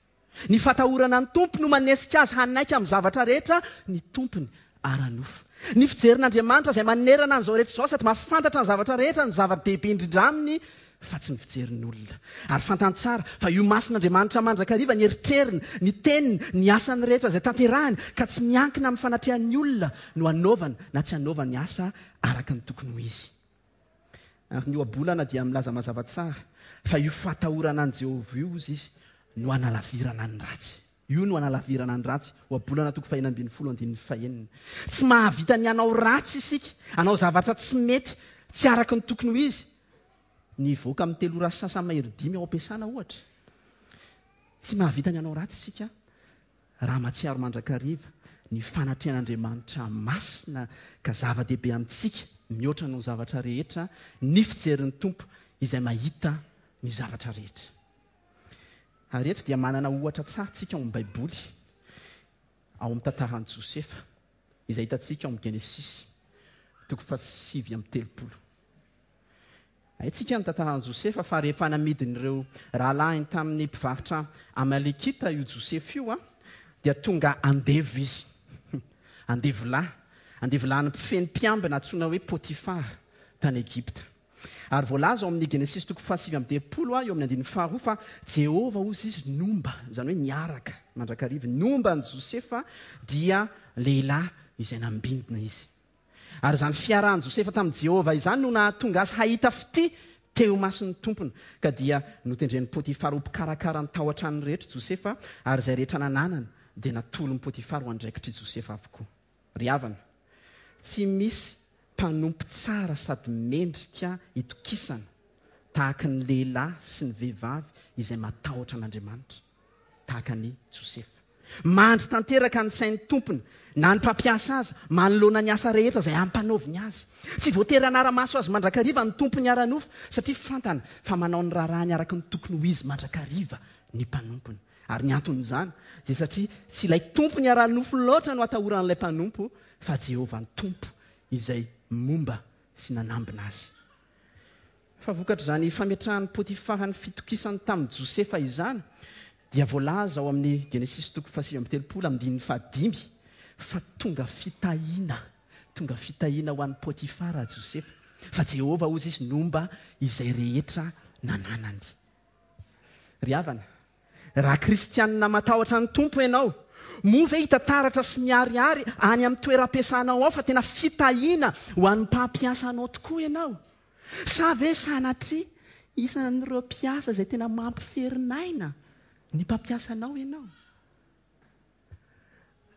[SPEAKER 1] Ny fatahorana ny Tompo no manesika azy hanaiky amin'ny zavatra rehetra ny tompony ara-nofo. Ny fijerin'Andriamanitra izay manerana an'izao rehetra izao sady mahafantatra ny zavatra rehetra no zava-dehibe indrindra aminy fa tsy ny fijerin'olona. Ary fantany tsara fa io mason'Andriamanitra mandrakariva ny eritreriny, ny teniny, ny asany rehetra izay tanterahiny, ka tsy miankina amin'ny fanatrehan'ny olona no hanaovany na tsy hanaovany asa araka ny tokony ho izy. Ary ny ohabolana dia milaza mazava tsara fa io fahatahorana an'i Jehovah io, hozy izy, no hanalavirana ny ratsy. Io no hanalavirana ny ratsy. Ohabolana toko fahenina ambin'ny folo andininy fahenina. Tsy mahavita ny hanao ratsy isika, hanao zavatra tsy mety, tsy araka ny tokony ho izy. Ny hivoaka amin'ny telo ora sy sasany mahery dimy ao am-piasana, ohatra. Tsy mahavita ny hanao ratsy isika raha mahatsiaro mandrakariva ny fanatrehan'Andriamanitra masina ka zava-dehibe amintsika mihoatra noho ny zavatra rehetra ny fijerin'ny Tompo izay mahita ny zavatra rehetra. Ary eto dia manana ohatra tsara isika ao amin'ny Baiboly, ao amin'ny tantaran'i Josefa, izay hitantsika ao amin'ny Genesisy, toko faha-39. Haintsika ny tantaran'i Josefa fa rehefa namidin'ireo rahalahiny tamin'ny mpivarotra Amalekita io Josefa io, dia tonga andevo izy. Andevolahy. Andevolahin'ny mpifehy mpiambina antsoina hoe Potifara tany Egypta. Ary voalaza ao amin'ny Genesisy toko faha-39 eo amin'ny andininy faharoa fa Jehovah, hozy izy, nomba, izany hoe niaraka mandrakariva, nomba an'i Josefa dia lehilahy izay nambinina izy. Ary izany fiarahan'i Josefa tamin'i Jehovah izany no nahatonga azy hahita fitia teo imason'ny tompony. Ka dia notendren'i Potifara ho mpikarakara ny tao an-tranony rehetra Josefa, ary izay rehetra nananany dia natolon'i Potifara ho andraikitr'i Josefa avokoa. Ry havana, tsy misy mpanompo tsara sady mendrika itokisana tahaka ny lehilahy sy ny vehivavy izay matahotra an'Andriamanitra. tahaka an'i Josefa. Mandry tanteraka ny sain'ny tompony na ny mpampiasa azy manoloana ny asa rehetra izay ampanaoviny azy. Tsy voatery hanara-maso azy mandrakariva ny tompony ara-nofo satria fantany fa manao ny raharahany araka ny tokony ho izy mandrakariva ny mpanompony. Ary ny anton'izany dia satria tsy ilay tompony ara-nofo loatra no atahoran'ilay mpanompo fa Jehovah Tompo izay momba sy nanambina azy. Fa vokatr'izany fametrahan'i Potifara ny fitokisany tamin'i Josefa izany dia voalaza ao amin'ny Genesisy toko fahasivy amby telopolo andininy fahadimy fa tonga fitahiana, tonga fitahiana ho an'i Potifara Josefa, fa Jehovah hozy izy nomba izay rehetra nananany. Ry havana, raha kristianina matahotra ny Tompo ianao, moa ve hita taratra sy miharihary any amin'ny toeram-piasanao ao fa tena fitahiana ho an'ny mpampiasa anao tokoa ianao? Sa ve sanatria isan'ireo mpiasa izay tena mampiferin'aina ny mpampiasa anao ianao?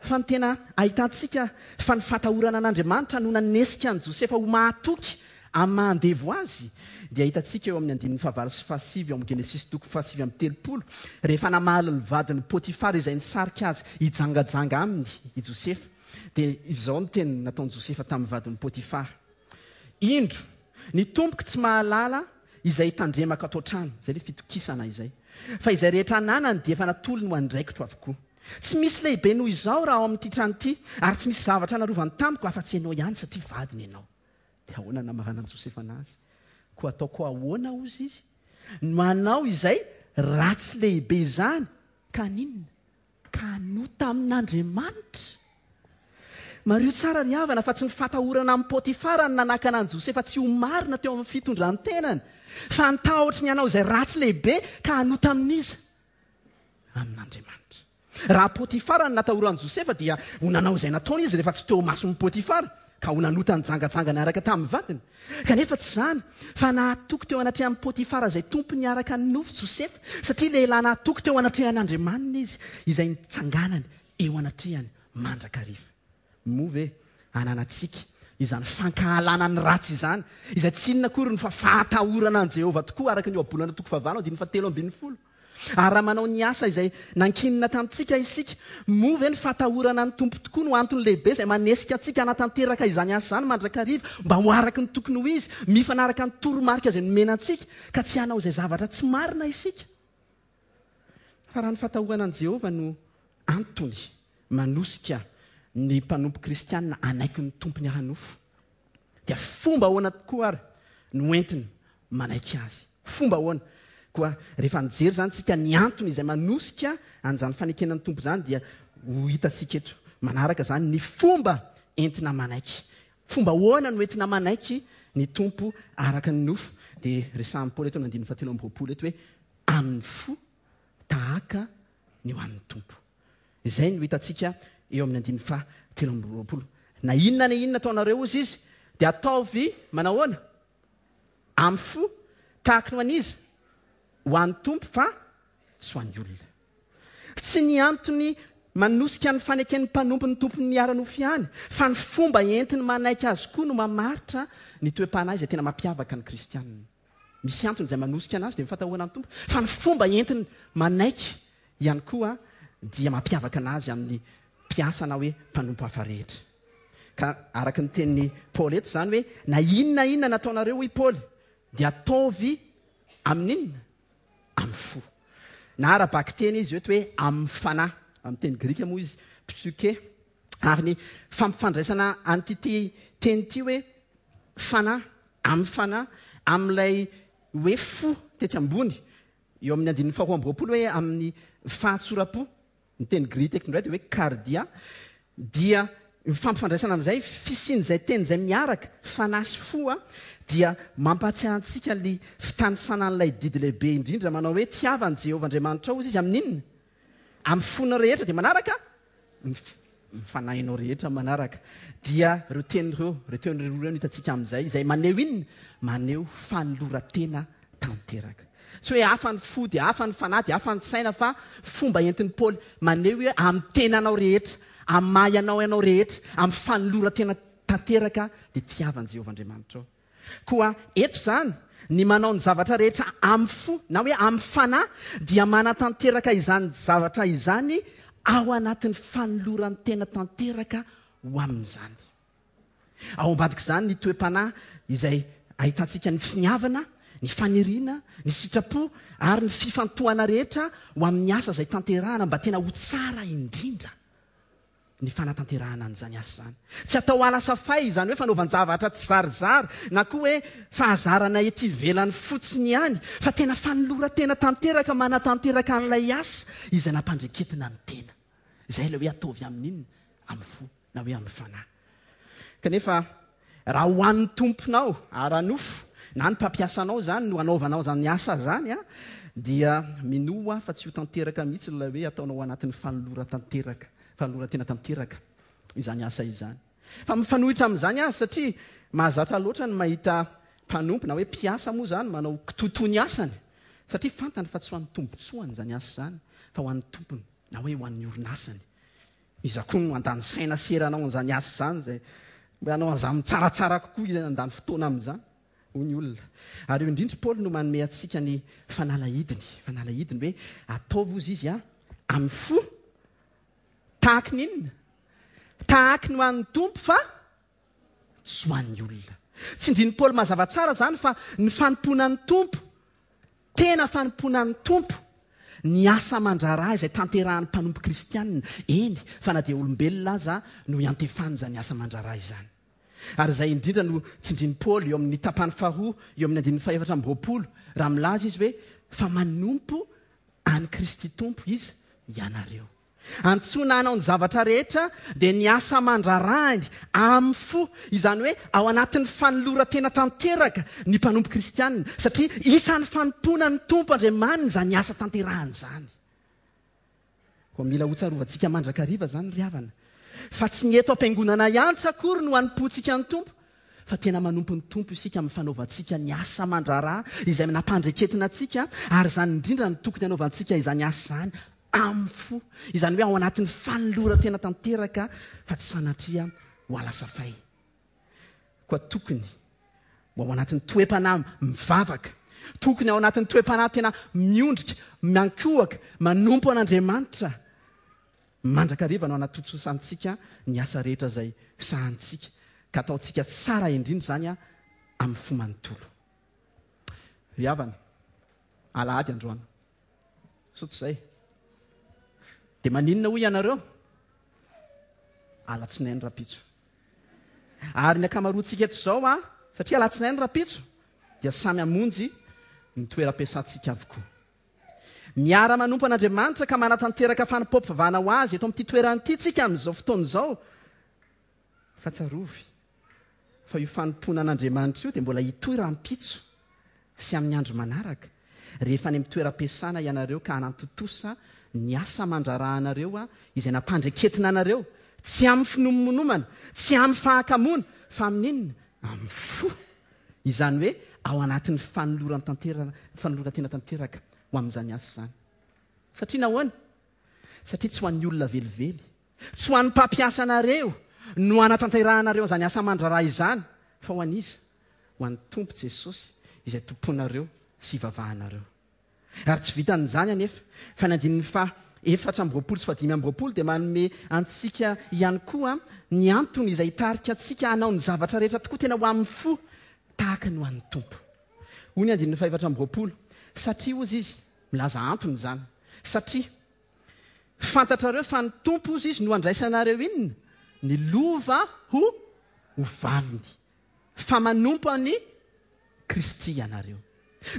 [SPEAKER 1] Fa ny tena ahitantsika fa ny fatahorana an'Andriamanitra no nanesika an'i Josefa ho mahatoky amin'ny maha andevo azy dia hitantsika eo amin'ny andininy fahavalo sy fahasivy ao amin'ny Genesisy toko fahasivy amby telopolo rehefa namaly ny vadin'i Potifara izay nisarika azy hijangajanga aminy i Josefa dia izao ny teny nataon'i Josefa tamin'ny vadin'i Potifara, Indro, ny tompoko tsy mahalala izay itandremako ato an-trano, izay ilay fitokisana izay, fa izay rehetra ananany dia efa natolony ho andraikitro avokoa. Tsy misy lehibe noho izaho raha ao amin'ity trano ity, ary tsy misy zavatra narovany tamiko afa-tsy ianao ihany, satria vadiny ianao. Dia ahoana no namaranan'i Josefa anazy? Koa ataoko ahoana, hozy izy, no hanao izay ratsy lehibe izany, ka haninona? Ka hanota amin'Andriamanitra? Mariho tsara ry havana fa tsy ny fatahorana amin'i Potifara no nanakana an'i Josefa tsy ho marina teo amin'ny fitondran-tenany, fa ny tahotry ny hanao izay ratsy lehibe ka hanota amin'iza? Amin'Andriamanitra. Raha Potifara no natahoran'i Josefa dia ho nanao izay nataony izy rehefa tsy teo imason'i Potifara, ka ho nanota nijangajanga niaraka tamin'ny vadiny. Kanefa tsy izany, fa nahatoky teo anatrehan'i Potifara izay tompony niaraka nofo Josefa, satria lehilahy nahatoky teo anatrehan'Andriamaniny izy, izay nitsanganany eo anatrehany mandrakariva. Moa ve ananantsika izany fankahalana ny ratsy izany, izay tsy inona akory no fa fahatahorana an'i Jehovah tokoa, araka ny Ohabolana toko fahavalo andininy fahatelo ambin'ny folo? Ary raha manao ny asa izay nankinina tamintsika isika, moa ve ny fahatahorana ny Tompo tokoa no antony lehibe izay manesika antsika hanatanteraka izany asa izany mandrakariva mba ho araka ny tokony ho izy, mifanaraka ny toromarika izay nomena antsika, ka tsy hanao izay zavatra tsy marina isika? Fa raha ny fahatahorana an'i Jehovah no antony manosika ny mpanompo kristiana hanaiky ny tompony ara-nofo, dia fomba ahoana tokoa ary no entiny manaiky azy? Fomba ahoana? Koa rehefa mijery izany isika ny antony izay manosika an'izany fanekena ny Tompo izany dia ho hitantsika eto manaraka izany ny fomba entina manaiky. Fomba ahoana no entina manaiky ny Tompo araka ny nofo? Dia resahin'i Paoly eto amin'ny andininy fahatelo amby roapolo eto hoe amin'ny fo tahaka ny ho an'ny Tompo. Izay no hitantsika eo amin'ny andininy faha 23. Na inona na inona ataonareo, hozy izy, dia ataovy manahoana? Amin'ny fo, tahaka ny ho an'iza? Ho an'ny Tompo fa tsy ho an'ny olona. Tsy ny antony manosika ny faneken'ny mpanompo ny tompony ara-nofo ihany, fa ny fomba entiny manaiky azy koa no mamaritra ny toe-panahy izay tena mampiavaka ny kristianina. Misy antony izay manosika anazy dia ny fatahorana ny Tompo, fa ny fomba entiny manaiky ihany koa dia mampiavaka anazy amin'ny mpiasa na hoe mpanompo hafa rehetra. Ka araka ny tenin'i Paoly eto izany hoe na inona na inona nataonareo hoy Paoly dia ataovy amin'inona? Amin'ny fo. Na ara-bakiteny izy eto hoe amin'ny fanahy. Amin'ny teny grika moa izy psyche. Ary ny fampifandraisana an'ity teny ity hoe fanahy, amin'ny fanahy, amin'ilay hoe fo tetsy ambony, eo amin'ny andininy faharoa amby roapolo hoe amin'ny fahatsoram-po, ny teny grika eto indray dia hoe kardia, dia ny fampifandraisana amin'izay fisian'izay teny izay miaraka, fanahy sy fo, dia mampahatsiahy antsika ny fitanisana an'ilay didy lehibe indrindra manao hoe tiava an'i Jehovah Andriamanitrao, hozy izy, amin'inona? Amin'ny fonao rehetra dia manaraka ny fanahinao rehetra manaraka. Dia ireo teny ireo, ireo teny roa ireo no hitantsika amin'izay, izay maneho inona? Maneho fanoloran-tena tanteraka. Tsy hoe hafa ny fo dia hafa ny fanahy dia hafa ny saina fa fomba entin'i Paoly maneho hoe amin'ny tenanao rehetra, amin'ny maha ianao anao rehetra, amin'ny fanoloran-tena tanteraka dia tiava an'i Jehovah Andriamanitrao. Koa eto izany, ny manao ny zavatra rehetra amin'ny fo, na hoe amin'ny fanahy, dia manatanteraka izany zavatra izany ao anatin'ny fanoloran-tena tanteraka ho amin'izany. Ao ambadik'izany ny toe-panahy izay ahitantsika ny finiavana, Ny faniriana, ny sitrapo ary ny fifantohana rehetra ho amin'ny asa izay tanterahana mba tena ho tsara indrindra ny fanatanterahana an'izany asa izany. Tsy atao alasafay izany hoe fanaovan-javatra tsizarizary na koa hoe fahazarana ety ivelany fotsiny ihany fa tena fanoloran-tena tanteraka manatanteraka an'ilay asa izay nampandreketina ny tena. Izay ilay hoe ataovy amin'ny inona? Amin'ny fo na hoe amin'ny fanahy. Kanefa raha ho an'ny tomponao ara-nofo na ny mpampiasa anao izany no anaovanao izany asa izany dia minoa aho fa tsy ho tanteraka mihitsy ilay hoe ataonao anatin'ny fanoloran-tanteraka, fanoloran-tena tanteraka izany asa izany. Fa mifanohitra amin'izany aza satria mahazatra loatra ny mahita mpanompo na hoe mpiasa moa izany manao kitoatoa ny asany satria fantany fa tsy ho an'ny tombontsoany izany asa izany fa ho an'ny tompony na hoe ho an'ny orinasany. Iza koa no handany saina sy hery hanao an'izany asa izany izay mba hanao an'izany tsaratsara kokoa izay handany fotoana amin'izany, hoy ny olona. Ary eo indrindra Paoly no manome antsika ny fanalahidiny, fanalahidiny hoe ataovy hozy izy amin'ny fo tahaky ny inona? Tahaky ny ho an'ny Tompo fa tsy ho an'ny olona. Tsindrin'i Paoly mazava tsara izany fa ny fanompoana ny Tompo, tena fanompoana ny Tompo, ny asa aman-draharaha izay tanterahan'ny mpanompo kristianina, eny fa na dia olombelona aza no iantefan'izany asa aman-draharaha izany. Ary izay indrindra no tsindrin'i Paoly eo amin'ny tapany faharoa eo amin'ny andininy fahefatra amby 20 raha milaza izy hoe fa manompo an'i Kristy Tompo iza? Ianareo. Antsoina hanao ny zavatra rehetra dia ny asa aman-draharahany amin'ny fo, izany hoe ao anatin'ny fanoloran-tena tanteraka ny mpanompo kristianina, satria isan'ny fanompoana ny Tompo Andriamaniny izany asa tanterahany izany. Koa mila hotsarovantsika mandrakariva izany ry havana, fa tsy ny eto am-piangonana ihany tsy akory no hanompoantsika ny Tompo, fa tena manompo ny Tompo isika amin'ny fanaovantsika ny asa aman-draharaha izay nampandreketina antsika, ary izany indrindra no tokony hanaovantsika izany asa izany amin'ny fo, izany hoe ao anatin'ny fanoloran-tena tanteraka fa tsy sanatria ho alasafay. Koa tokony ho ao anatin'ny toe-panahy mivavaka, tokony ao anatin'ny toe-panahy tena miondrika, miankohoka, manompo an'Andriamanitra mandrakariva no anatontosantsika ny asa rehetra izay sahanintsika, ka ataontsika tsara indrindra izany amin'ny fo manontolo. Ry havana, alahady androany. Sao tsy izay? Dia maninona hoy ianareo? Alatsinainy rahampitso. Ary ny ankamaroantsika eto izao an, satria alatsinainy rahampitso, dia samy hamonjy ny toeram-piasantsika avokoa. Miara-manompo an'Andriamanitra ka manatanteraka fanompoam-pivavahana ho Azy eto amin'ity toerana ity tsika amin'izao fotoana izao. Fa tsarovy fa io fanompoana an'Andriamanitra io dia mbola hitohy rahampitso sy amin'ny andro manaraka, rehefa any amin'ny toeram-piasana ianareo ka hanantontosa ny asa aman-draharahanareo izay nampandreketina anareo, tsy amin'ny finomonomana, tsy amin'ny fahakamoana, fa amin'ny inona? Amin'ny fo. Izany hoe ao anatin'ny fanoloran-tena tanteraka ho amin'izany asa izany. Satria nahoana? Satria tsy ho an'ny olona velively, Tsy ho an'ny mpampiasa anareo no hanatanterahanareo an'izany asa aman-draharaha izany, fa ho an'iza? Ho an'ny Tompo Jesosy, izay tompoinareo sy ivavahanareo. Ary tsy vitan'izany anefa, fa ny andininy faha 24 sy faha 25 dia manome antsika ihany koa ny antony izay hitarika antsika hanao ny zavatra rehetra tokoa tena ho amin'ny fo tahaka ny ho an'ny Tompo. Hoy ny andininy faha 24, Satria, hozy izy, milaza antony izany, satria. Fantatrareo fa ny Tompo, hozy izy, no handraisanareo inona? Ny lova ho ho valiny. Fa manompo an'i Kristy ianareo.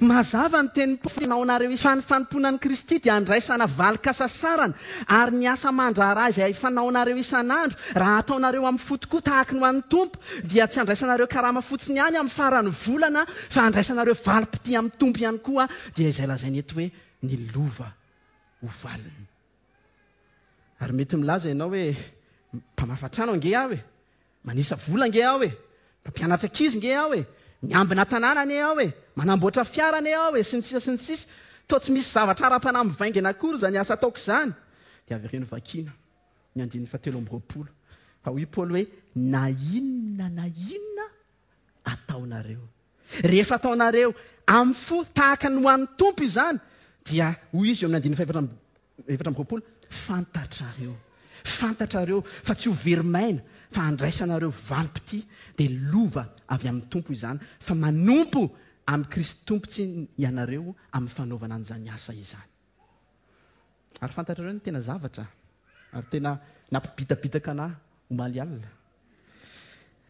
[SPEAKER 1] Mazava ny tenin'i Paoly, Naonareo fa ny fanompoana an'i Kristy dia handraisana valin-kasasarana, ary ny asa aman-draharaha izay fanaonareo isan'andro, raha ataonareo amin'ny fo tokoa tahaky ny ho an'ny Tompo, dia tsy handraisanareo karama fotsiny ihany amin'ny faran'ny volana, fa handraisanareo valim-pitia amin'ny Tompo ihany koa, dia izay lazainy eto hoe ny lova ho valiny. Ary mety milaza ianao hoe, mpamafa trano ange aho e, manisa vola ange aho e, mpampianatra ankizy nge aho e, miambina tanàna anie aho e, manamboatra fiara anie aho e, sy ny sisa sy ny sisa. Toa tsy misy zavatra ara-panahy mivaingana akory izany asa ataoko izany. Dia avereno vakiana ny andininy fahatelo amby 20. Fa hoy Paoly hoe, na inona na inona ataonareo. Rehefa ataonareo amin'ny fo tahaka ny ho an'ny Tompo izany, dia hoy izy eo amin'ny andininy fahefatra 24, Fantatrareo, fantatrareo fa tsy ho very maina, fa handraisanareo valim-pitia, dia lova avy amin'ny Tompo izany, fa manompo amin'i Kristy Tompontsy ianareo amin'ny fanaovana an'izany asa izany. Ary fantatrareo ny tena zavatra ary tena nampibitabitaka anà omaly alina?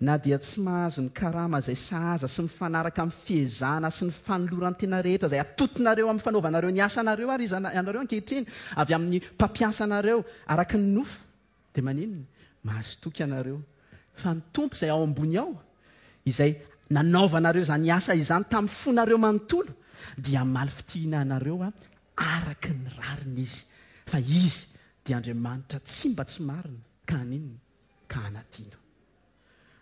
[SPEAKER 1] Na dia tsy mahazo ny karama izay sahaza sy mifanaraka amin'ny fiezahana sy ny fanoloran-tena rehetra izay atotonareo amin'ny fanaovanareo ny asanareo ary ianareo ankehitriny avy amin'ny mpampiasa anareo araka ny nofo, dia maninona? Mahazo toky ianareo fa ny Tompo izay ao ambony ao, izay nanaovanareo izany asa izany tamin'ny fonareo manontolo, dia hamaly fitihina anareo araka ny rariny Izy, fa Izy dia Andriamanitra tsy mba tsy marina, ka haninona? Ka hanadino.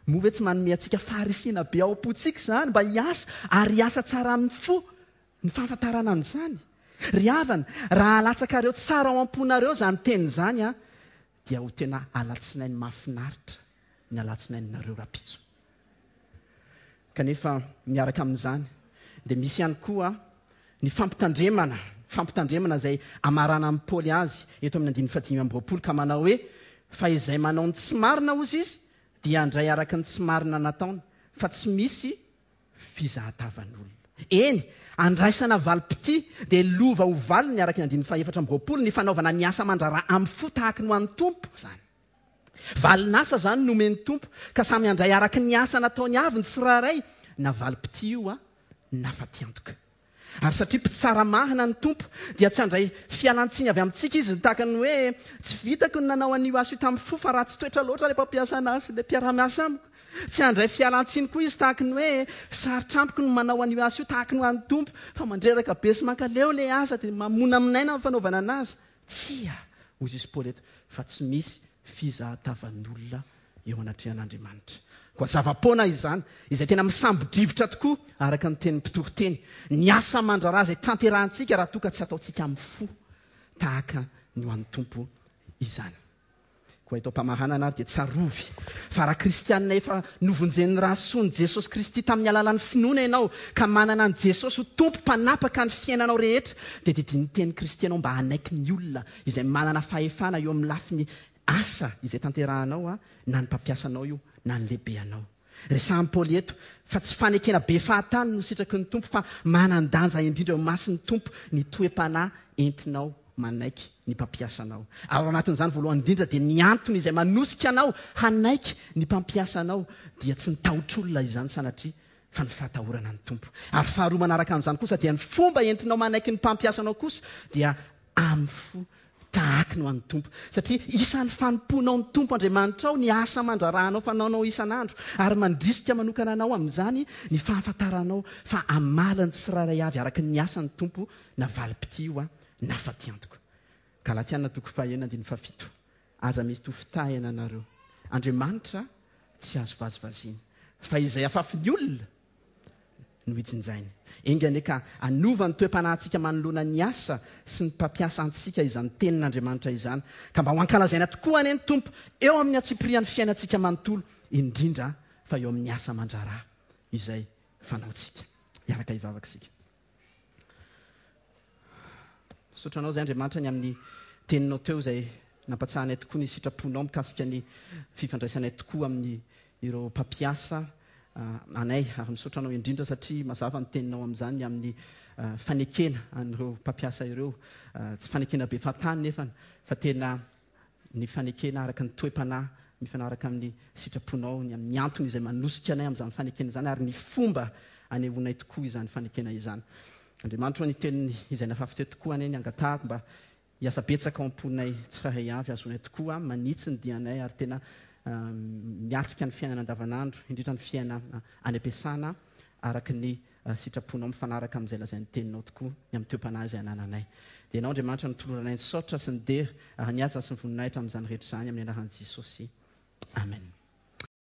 [SPEAKER 1] Moa ve tsy manome antsika faharisihana be ao am-pontsika izany mba hiasa ary hiasa tsara amin'ny fo ny fahafantarana an'izany? Ry havana, raha alatsakareo tsara ao am-ponareo izany teny izany, dia ho tena alatsinainy mahafinaritra ny alatsinaininareo rahampitso. Kanefa miaraka amin'izany dia misy ihany koa ny fampitandremana, fampitandremana izay amaranan'i Paoly azy eto amin'ny andininy fahadimy amby 20 ka manao hoe, Fa izay manao ny tsy marina, hozy izy, dia handray araka ny tsy marina nataony, fa tsy misy fizahatavan'olona. Eny, andraisana valim-pitia dia lova ho valiny araka ny andininy faha-24 ny fanaovana ny asa aman-draharaha amin'ny fo tahaky ny ho an'ny Tompo izany. Valin'asa izany no omen'ny Tompo, ka samy handray araka ny asa nataony avy ny tsirairay, na valim-pitia io na fatiantoka. Ary satria mpitsara marina ny Tompo, dia tsy handray fialan-tsiny avy amintsika Izy, tahaka ny hoe, Tsy vitako ny nanao an'io asa io tamin'ny fo, fa ratsy toetra loatra ilay mpampiasa anahy sy ilay mpiara-miasa amiko. Tsy handray fialan-tsiny koa Izy, tahaka ny hoe, Sarotra amiko ny manao an'io asa io tahaka ny ho an'ny Tompo, fa mandreraka be sy mankaleo ilay asa, dia mamonamonaina ny fanaovana anazy. Tsia, hoy Jesosy Paoly eto, fa tsy misy fizahatavan'olona eo anatrehan'Andriamanitra. Koa zava-poana izany, izay tena misambo-drivotra tokoa, araka ny tenin'ny mpitoriteny. Ny asa aman-draharaha izay tanterahintsika raha toa ka tsy ataontsika amin'ny fo tahaka ny ho an'ny Tompo izany. Koa eto am-pamaranana ary dia tsarovy fa raha kristianina efa novonjen'ny ra soan'i Jesosy Kristy tamin'ny alalan'ny finoana ianao ka manana an'i Jesosy ho Tompo mpanapaka ny fiainanao rehetra dia didian'ny tenin'i Kristy ianao mba hanaiky ny olona izay manana fahefana eo amin'ny lafiny asa izay tanterahanao na ny mpampiasa anao io na ny lehibe anao. Resahin'i Paoly eto fa tsy fanekena be fahatany no sitraky ny Tompo fa manan-danja indrindra eo imason'ny Tompo ny toe-panahy entinao manaiky ny mpampiasa anao. Ary ao anatin'izany voalohany indrindra dia ny antony izay manosika anao hanaiky ny mpampiasa anao dia tsy ny tahotr'olona izany sanatria fa ny fahatahorana ny Tompo. Ary faharoa manaraka an'izany kosa dia ny fomba entinao manaiky ny mpampiasa anao kosa dia amin'ny fo Tahaka ny ho an'ny Tompo. Satria isan'ny fanompoanao ny Tompo Andriamanitrao ny asa aman-draharahanao fanaonao isan'andro, ary mandrisika manokana anao amin'izany ny fahafantaranao fa hamaly ny tsirairay avy araka ny asa ny Tompo na valim-pitia io na fatiantoka. Galatiana toko fahenina andininy fahafito. Aza misy ho fitahina anareo. Andriamanitra tsy azo vazivaziana. Fa izay afafin'ny olona no hijinjainy. Enga anie ka hanova ny toe-panahintsika manoloana ny asa sy ny mpampiasa antsika izany Tenin'Andriamanitra izany, ka mba ho ankalazaina tokoa anie ny Tompo eo amin'ny antsipirian'ny fiainantsika manontolo, indrindra fa eo amin'ny asa aman-draharaha izay fanaontsika. Hiaraka hivavaka isika. Misaotra Anao izay Andriamanitra ny amin'ny Teninao teo izay nampatsahanay tokoa ny sitraponao mikasika ny fifandraisanay tokoa amin'ny ireo mpampiasa anay ary misaotra Anao indrindra satria mazava ny Teninao amin'izany ny amin'ny fanekena an'ireo mpampiasa ireo tsy fanekena be fahatany nefany fa tena ny fanekena araka ny toe-panahy mifanaraka amin'ny sitraponao, ny amin'ny antony izay manosika anay amin'izany fanekena izany ary ny fomba anehoanay tokoa izany fanekena izany. Andriamanitra ô, ny teniny izay nafafy teo tokoa anie ny angatahako mba hiasa betsaka ao am-ponay tsirairay avy, hahazoanay tokoa manitsy ny dianay ary tena miatrika ny fiainana andavanandro, indrindra ny fiainana any am-piasana araka ny sitraponao mifanaraka amin'izay lazain'ny Teninao tokoa ny amin'ny toe-panahy izay anananay. Dia Ianao Andriamanitra no toloranay ny saotra sy ny dera ary ny haja sy ny voninahitra amin'izany rehetra izany amin'ny anaran'i Jesosy. Amen.